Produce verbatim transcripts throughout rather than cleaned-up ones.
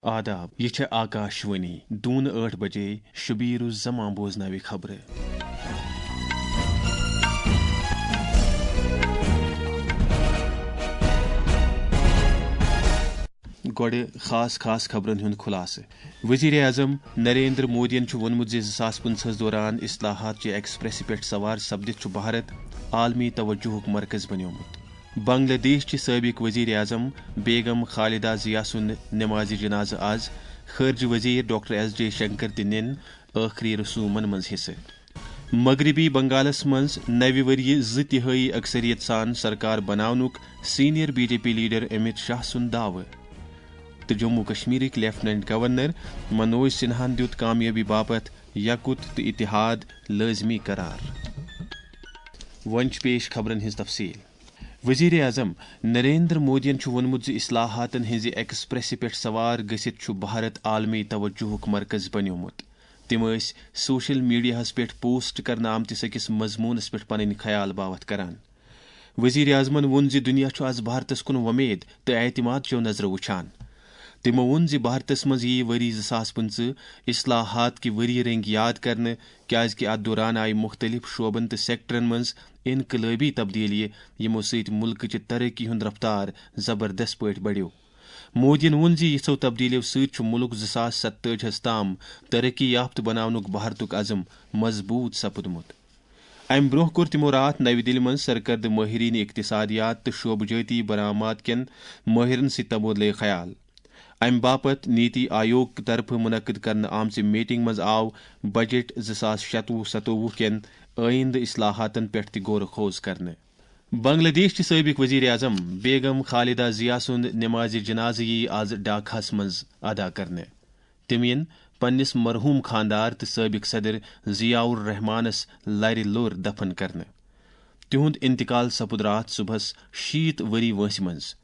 آداب، یہِ چھےٚ آکاش وانی۔ دوٗنہٕ ٲٹھ بجے شبیر الزمان بوزناوِ خبرٕ۔ گۄڈٕ خاص خاص خبرن ہُنٛد خُلاصہٕ۔ وزیر اعظم نریندر مودیَن چھُ ووٚنمُت زِ زٕ ساس پٕنٛژٕہَس دوران اصلاحات چہِ ایکسپریسہِ پٮ۪ٹھ سوار سپدِتھ چھُ بھارت عالمی توجہُک مرکز بنیومُت۔ بنگلہ دیش چہِ سٲبق وزیر اعظم بیگم خالدہ ضیاء سُنٛد نمازِ جنازٕ آز۔ خارجہ وزیر ڈاکٹر ایس جے شنکر تہِ نِن ٲخری رسومن منٛز حصہٕ۔ مغربی بنگالس منٛز نوِ ؤریہِ زٕ تِہٲیی اکثریت سان سرکار بناونُک senior B J P leader Amit Shah سُنٛد دعوٕ۔ تہٕ جموں کشمیرٕکۍ لیفٹیننٹ گورنر منوج سنہاہن دیُت کامیٲبی باپتھ یقت تہٕ اتحاد لٲزمی قرار۔ وۄنۍ چھِ پیش خبرن ہٕنٛز تفصیل۔ وزیر اعظم نریندر مودیَن چھُ ووٚنمُت زِ اصلاحاتن ہٕنٛزِ ایکسپریسہِ پٮ۪ٹھ سوار گٔژھِتھ چھُ بھارت عالمی توجہُک مرکز بنیومُت۔ تِم ٲسۍ سوشل میڈیاہَس پٮ۪ٹھ پوسٹ کرنہٕ آمتِس أکِس مضموٗنَس پٮ۪ٹھ پنٕنۍ خیال باوتھ کران۔ وزیر اعظمَن ووٚن زِ دُنیا چھُ از بھارتَس کُن وۄمید تہٕ اعتماد چٮ۪و نظرو وٕچھان۔ تِمو ووٚن زِ بھارتَس منٛز یِیہِ ؤری زٕ ساس پٕنٛژٕہ اصلاحات کہِ ؤری رٔنگۍ یاد کرنہٕ، کیازِ کہِ اتھ دوران آیہِ مُختٔلِف شعبن تہٕ سیکٹرن منٛز انقلٲبی تبدیلیہِ، یِمو سۭتۍ مُلکٕچہِ ترقی ہُنٛد رفتار زبردست پٲٹھۍ بڑیو۔ مودیَن ووٚن زِ یِژھو تبدیلیو سۭتۍ چھُ مُلک زٕ ساس ستٲجی ہَس تام ترقی یافتہٕ بناونُک بھارتُک عزم مضبوٗط سپُدمُت۔ امہِ برٛونٛہہ کوٚر تِمو راتھ نَوِ دِلہِ منٛز سرکردٕ مٲہریٖن اقتصادیات تہٕ شعبہٕ جٲتی برآمد کٮ۪ن مٲہرن سۭتۍ تبادلہٕ خیال۔ امہِ باپتھ نیتی آیوگ طرفہٕ منعقد کرنہٕ آمژِ میٹنگ منٛز آو بجٹ زٕ ساس شتوُہ ستووُہ کٮ۪ن آئندٕ اصلاحاتن پٮ۪ٹھ تہِ غور و خوض کرنہٕ۔ بنگلہ دیش چہِ سٲبق وزیر اعظم بیگم خالدہ ضیاء سُنٛد نمازِ جنازٕ یِیہِ آز ڈھاکہس منٛز ادا کرنہٕ۔ تِم یِن پننِس مرحوم خاندار تہٕ سٲبق صدر ضیاء الرحمانس لرِ لوٚر دفن کرنہٕ۔ تِہُنٛد انتقال سپُد راتھ صبحس شیٖتھ ؤری وٲنٛسہِ منٛز۔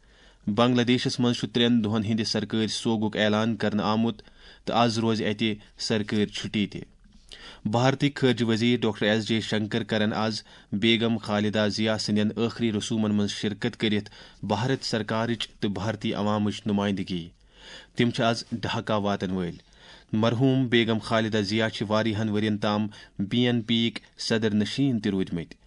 بنگلہ دیشس منٛز چھُ ترٛٮ۪ن دۄہن ہٕنٛدِ سرکٲرۍ سوگُک اعلان کرنہٕ آمُت تہٕ از روزِ اتہِ سرکٲرۍ چھُٹی تہِ۔ بھارتٕکۍ خارجہ وزیر ڈاکٹر ایس جے شنکر کرن از بیگم خالدہ ضیاء سٕنٛدٮ۪ن ٲخری رسومن منٛز شرکت کٔرِتھ بھارت سرکارٕچ تہٕ بھارتی عوامٕچ نمائندگی۔ تِم چھِ از ڈھاکہ واتن وٲلۍ۔ مرحوم بیگم خالدہ ضیاء چھِ واریاہن ؤرین تام بی این پی یِکۍ صدر نشین تہِ روٗدمٕتۍ۔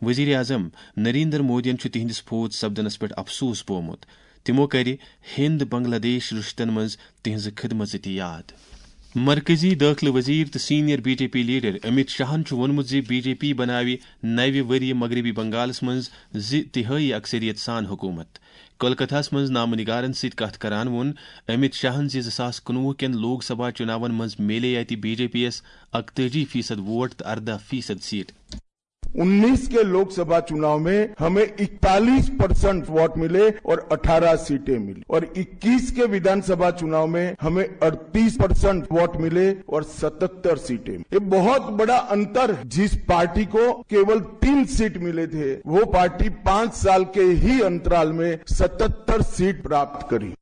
وزیر اعظم نریندر مودیَن چھُ تِہنٛدِس فوت سپدنس پٮ۪ٹھ افسوس بومُت۔ تِمو کرِ ہند بنگلہ دیش رشتن منٛز تِہنٛزٕ خدمژٕ تہِ یاد۔ مرکزی دٲخلہٕ وزیر تہٕ senior B J P leader Amit شاہن چھُ ووٚنمُت زِ بی جے پی بناوِ نوِ ؤریہِ مغربی بنگالس منٛز زٕ تِہٲیی اکثریت سان حکومت۔ کولکتہس منٛز نامہ نگارن سۭتۍ کتھ کران ووٚن امت شاہن زِ زٕ ساس کُنوُہ کٮ۪ن لوک سبھا چُناون منٛز میلے اتہِ بی جے پی یَس اکتٲجی فیصد ووٹ تہٕ ارداہ فیصد سیٹ۔ उन्नीस के लोकसभा चुनाव में हमें इकतालीस परसेंट वोट मिले और अठारह सीटें मिली, और इक्कीस के विधानसभा चुनाव में हमें अड़तीस परसेंट वोट मिले और सतहत्तर सीटें मिली। ये बहुत बड़ा अंतर है। जिस पार्टी को केवल तीन सीट मिले थे, वो पार्टी पांच साल के ही अंतराल में सतहत्तर सीट प्राप्त करी।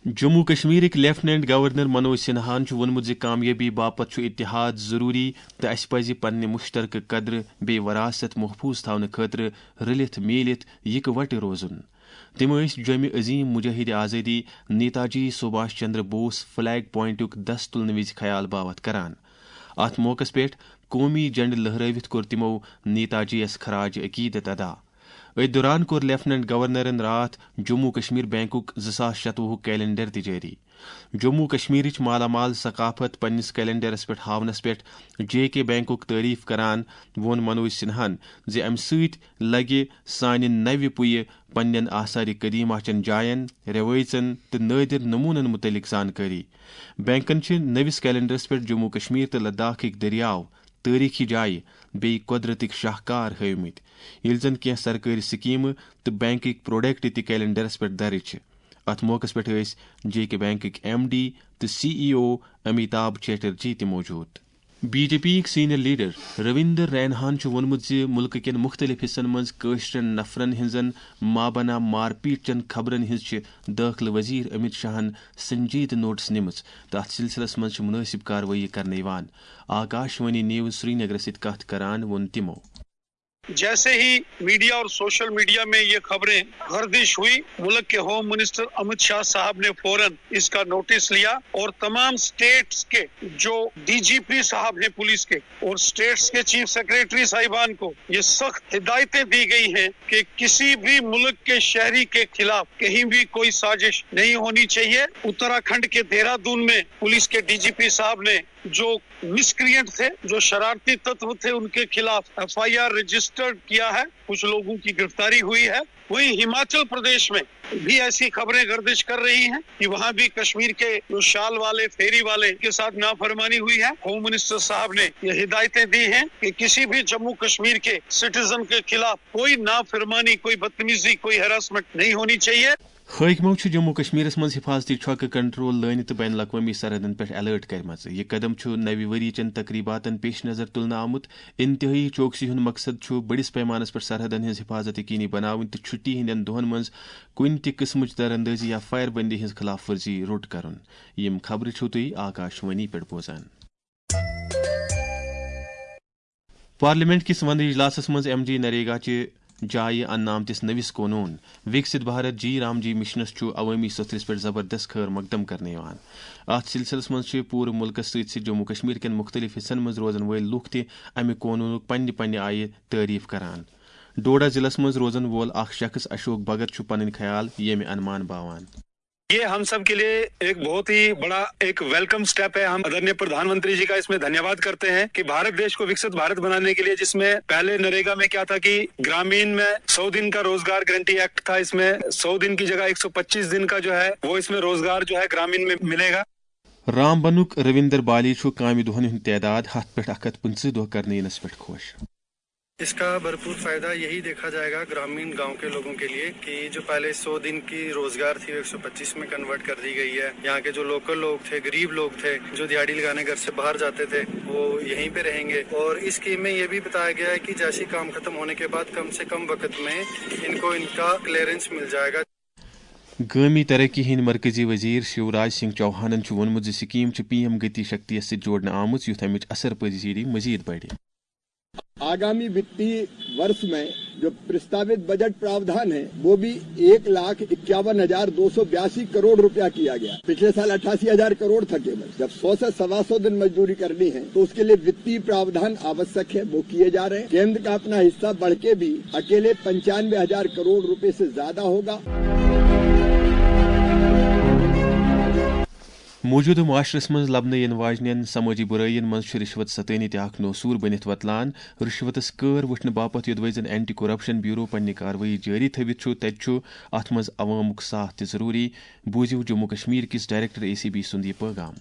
جموں و کشمیرٕکۍ لیفٹیننٹ گورنر منوج سنہاہن چھُ ووٚنمُت زِ کامیٲبی باپتھ چھُ اتحاد ضروٗری تہٕ اسہِ پزِ پننہِ مشترکہٕ قدرٕ بیٚیہِ وراثت محفوظ تھاونہٕ خٲطرٕ رٔلِتھ میٖلِتھ یکوٹہٕ روزُن۔ تِم ٲسۍ جوٚمہِ عظیم مجاہد آزٲدی نیتاجی سبھاش چندر بوس فلیگ پوائنٹُک دَس تُلنہٕ وِزِ خیال باوتھ کران۔ اتھ موقعس پٮ۪ٹھ قومی جھنڈٕ لہرٲوِتھ کوٚر تِمو نیتاجی یَس خراج عقیدت ادا۔ أتھۍ دوران کوٚر لیفٹیننٹ گورنرن راتھ جموں و کشمیر بینکُک زٕ ساس شتوُہُک کیلنڈر تہِ جٲری۔ جموں و کشمیرٕچ مالا مال ثقافت پننِس کیلنڈرس پٮ۪ٹھ ہاونس پٮ۪ٹھ جے کے بینکُک تعریف کران ووٚن منوج سنہاہن زِ امہِ سۭتۍ لگہِ سانہِ نوِ پُیہِ پننٮ۪ن آثار قدیمہ چٮ۪ن جاین، رٮ۪وٲیژن تہٕ نٲدِر نموٗنن مُتعلق زانکٲری۔ بینکن چھِ نٔوِس کیلنڈرس پٮ۪ٹھ جموں و کشمیر تہٕ لداخٕکۍ دٔریاو، تٲریٖخی جایہِ، بیٚیہِ قۄدرتٕکۍ شاہکار ہٲومٕتۍ، ییٚلہِ زن کینٛہہ سرکٲرۍ سکیمہٕ تہٕ بینکٕکۍ پروڈکٹ تہِ کیلنڈرس پٮ۪ٹھ درٕج چھِ۔ اتھ موقعس پٮ۪ٹھ ٲسۍ جے کے بینکٕکۍ ایم ڈی تہٕ سی ای او امیتابھ چیٹرجی تہِ موجود۔ بی جے پی یِکۍ سینئر لیڈر رویندر رینہان چھُ ووٚنمُت زِ مُلکہٕ کٮ۪ن مُختٔلِف حصن منٛز کٲشرٮ۪ن نفرن ہٕنٛزن مابنا مارپیٹ چٮ۪ن خبرن ہٕنٛز چھِ دٲخلہٕ وزیر امت شاہن سنجیدٕ نوٹس نِمٕژ تہٕ اتھ سلسلس منٛز چھِ مُنٲسِب کاروٲیی کرنہٕ یِوان۔ آکاش وانی نیوز سرینگرس سۭتۍ کتھ کران ووٚن تِمو۔ جیسے ہی میڈیا اور سوشل میڈیا میں یہ خبریں گردش ہوئی، ملک کے ہوم منسٹر امت شاہ صاحب نے فوراً اس کا نوٹس لیا اور تمام اسٹیٹس کے جو ڈی جی پی صاحب ہیں پولیس کے اور اسٹیٹس کے چیف سیکرٹری صاحبان کو یہ سخت ہدایتیں دی گئی ہیں کہ کسی بھی ملک کے شہری کے خلاف کہیں بھی کوئی سازش نہیں ہونی چاہیے۔ اتراکھنڈ کے دہرادون میں پولیس کے ڈی جی پی صاحب نے جو مسکرینٹ تھے، جو شرارتی تتو تھے، ان کے خلاف ایف آئی آر رجسٹرڈ کیا ہے، کچھ لوگوں کی گرفتاری ہوئی ہے۔ وہیں ہماچل پردیش میں بھی ایسی خبریں گردش کر رہی ہیں کہ وہاں بھی کشمیر کے جو شال والے، فیری والے کے ساتھ نافرمانی ہوئی ہے۔ ہوم منسٹر صاحب نے یہ ہدایتیں دی ہیں کہ کسی بھی جموں کشمیر کے سٹیزن کے خلاف کوئی نافرمانی، کوئی بدتمیزی، کوئی ہراسمنٹ نہیں ہونی چاہیے۔ حٲکمو چھُ جموں کشمیرس منٛز حفاظتی چھۄکہٕ کنٹرول لٲنہِ تہٕ بین الاقوٲمی سرحدن پٮ۪ٹھ الرٹ کٔرمٕژ۔ یہِ قدم چھُ نوِ ؤری چٮ۪ن تقریباتن پیش نظر تُلنہٕ آمُت۔ انتہٲئی چوکسی ہُنٛد مقصد چھُ بٔڑِس پیمانس پٮ۪ٹھ سرحدن ہٕنٛز حفاظت یقینی بناوٕنۍ تہٕ چھُٹی ہٕنٛدٮ۪ن دۄہن منٛز کُنہِ تہِ قٕسمٕچ دراندٲزی یا فائر بندی ہٕنٛز خلاف ورزی روٚٹ کرُن۔ یِم خبرٕ چھِو تُہۍ آکاشوانی پٮ۪ٹھ بوزان۔ پارلیمنٹ کِس وندٕ اجلاسس منٛز ایم جی نریگا چہِ جایہِ اننہٕ آمتِس نٔوِس قونوٗن وِکسِت بھارت جی رام جی مشنس چھُ عوٲمی سوٚتھرِس پٮ۪ٹھ زبردست خٲر مقدم کرنہٕ یِوان۔ اتھ سلسلس منٛز چھِ پوٗرٕ مُلکس سۭتۍ سۭتۍ جموں کشمیر کٮ۪ن مُختٔلِف حصن منٛز روزن وٲلۍ لوٗکھ تہِ امہِ قونوٗنُک پننہِ پننہِ آیہِ تعریف کران۔ ڈوڈا ضلعس منٛز روزن وول اکھ شخص اشوک بھگت چھُ پنٕنۍ خیال ییٚمہِ انمان باوان۔ یہ ہم سب کے لیے ایک بہت ہی بڑا ایک ویلکم سٹیپ ہے۔ ہم آدरणीय प्रधानमंत्री जी का इसमें धन्यवाद करते हैं कि भारत देश को विकसित भारत बनाने के लिए, जिसमें पहले नरेगा में क्या था कि ग्रामीण में सौ दिन का रोजगार गारंटी एक्ट था, इसमें सौ दिन की जगह एक सौ पच्चीस दिन का जो है वो इसमें रोजगार जो है ग्रामीण में मिलेगा। رام بنُک رویندر بالی چھُ کامہِ دۄہن ہُنٛد تعداد ہتھ پٮ۪ٹھ اکھ ہتھ پٕنٛژٕہ دۄہ کرنہٕ یِنس پٮ۪ٹھ خۄش۔ इसका भरपूर फायदा यही देखा जाएगा ग्रामीण गांव के लोगों के लिए कि जो पहले सौ दिन की रोजगार थी, एक सौ पच्चीस में कन्वर्ट कर दी गई है। यहाँ के जो लोकल लोग थे, गरीब लोग थे, जो दिहाड़ी लगाने घर से बाहर जाते थे, वो यहीं पे रहेंगे। और इस स्कीम में ये भी बताया गया है कि जैसे ही काम खत्म होने के बाद कम से कम वक्त में इनको इनका क्लियरेंस मिल जाएगा। گٲمی ترقی ہٕنٛدۍ مرکزی وزیر شیوراج سنگھ چوہانن چھُ ووٚنمُت زِ سکیٖم چھِ پی ایم گتی شکتی یَس سۭتۍ جوڑنہٕ آمٕژ، یُتھ اَمِچ اثر پذیری مزید بڑِ۔ आगामी वित्तीय वर्ष में जो प्रस्तावित बजट प्रावधान है, वो भी एक लाख इक्यावन हजार दो सौ बयासी करोड़ रुपया किया गया। पिछले साल अट्ठासी हजार करोड़ था केवल। जब सौ से सवा सौ दिन मजदूरी करनी है, तो उसके लिए वित्तीय प्रावधान आवश्यक है, वो किए जा रहे हैं। केंद्र का अपना हिस्सा बढ़ के भी अकेले पंचानवे हजार करोड़ रुपए से ज्यादा होगा। موجودٕ معاشرس منٛز لبنہٕ یِنہٕ واجنٮ۪ن سمٲجی بُرٲیِن منٛز چھُ رِشوت ستٲنی تہِ اکھ نوسوٗر بٔنِتھ وۄتلان۔ رِشوتس کٲر وٕچھنہٕ باپتھ یوٚدوَے زن اینٹی کرپشن بیورو پننہِ کاروٲیی جٲری تھٲوِتھ چھُ، تتہِ چھُ اتھ منٛز عوامُک ساتھ تہِ ضروٗری۔ بوٗزِو جموں کشمیر کِس ڈائریکٹر اے سی بی سُنٛد یہِ پٲغام۔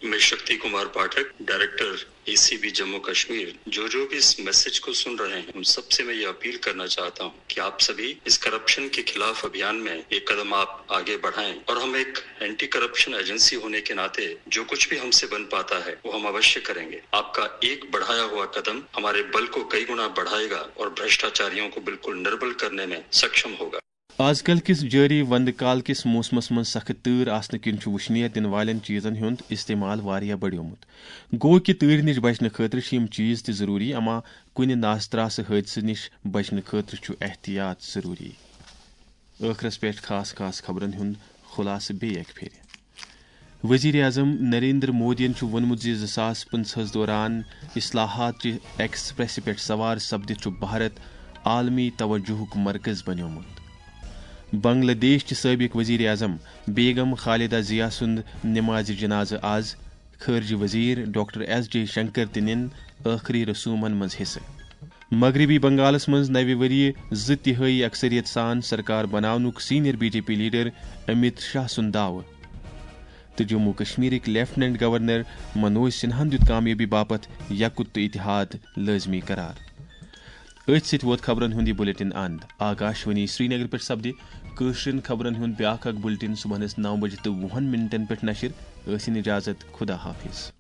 میں Shakti Kumar Pathak, director A C B Jammu Kashmir, جو جو بھی اس میسج کو سن رہے ہیں، ان سب سے میں یہ اپیل کرنا چاہتا ہوں کہ آپ سبھی اس کرپشن کے خلاف ابھیان میں ایک قدم آپ آگے بڑھائیں اور ہم ایک اینٹی کرپشن ایجنسی ہونے کے ناطے جو کچھ بھی ہم سے بن پاتا ہے، وہ ہم اوشیہ کریں گے۔ آپ کا ایک بڑھایا ہوا قدم ہمارے بل کو کئی گنا بڑھائے گا اور بھرشٹاچاریوں کو بالکل نربل کرنے میں سکشم ہوگا۔ آز کل کِس جٲری وندٕ کال کِس موسمس منٛز سخت تۭر آسنہٕ کِنۍ چھُ وُشنیر دِنہٕ والٮ۪ن چیٖزن ہُنٛد استعمال واریاہ بڑیومُت۔ گوٚو کہِ تۭرِ نِش بچنہٕ خٲطرٕ چھِ یِم چیٖز تہِ ضروٗری، اما کُنہِ ناز ترٛاسہٕ حٲدثہٕ نِش بچنہٕ خٲطرٕ چھُ احتیاط ضروٗری۔ ٲخرس پٮ۪ٹھ خاص خاص خبرن ہُنٛد خُلاصہٕ بیٚیہِ اکہِ پھِرِ۔ وزیر اعظم نریندر مودیَن چھُ ووٚنمُت زِ زٕ ساس پٕنٛژٕہَس دوران اصلاحات چہِ ایکسپریسہِ پٮ۪ٹھ سوار سپدِتھ چھُ بھارت عالمی توجہُک مرکز بنیومُت۔ بنگلہ دیش چہِ سٲبق وزیر اعظم بیگم خالدہ ضیاء سُنٛد نمازِ جنازٕ آز۔ خارجہ وزیر ڈاکٹر ایس جے شنکر تہِ نِن ٲخری رسومن منٛز حصہٕ۔ مغربی بنگالس منٛز نوِ ؤریہِ زٕ تہٲئی اکثریت سان سرکار بناونُک senior B J P leader Amit Shah سُنٛد دعوٕ۔ تہٕ جموں کشمیرٕکۍ لیفٹیننٹ گورنر منوج سنہاہن دیُت کامیٲبی باپتھ یکُت تہٕ اتحاد لٲزمی قرار۔ أتھۍ سۭتۍ ووت خبرن ہُنٛد یہِ بُلٹن اند۔ آکاشوانی سرینگر پٮ۪ٹھ سپدِ کٲشرٮ۪ن خبرن ہُنٛد بیاکھ اکھ بُلٹن صبحنس نو بجہِ تہٕ وُہن منٹن پٮ۪ٹھ نشر۔ ٲسِن اجازت، خدا حافظ۔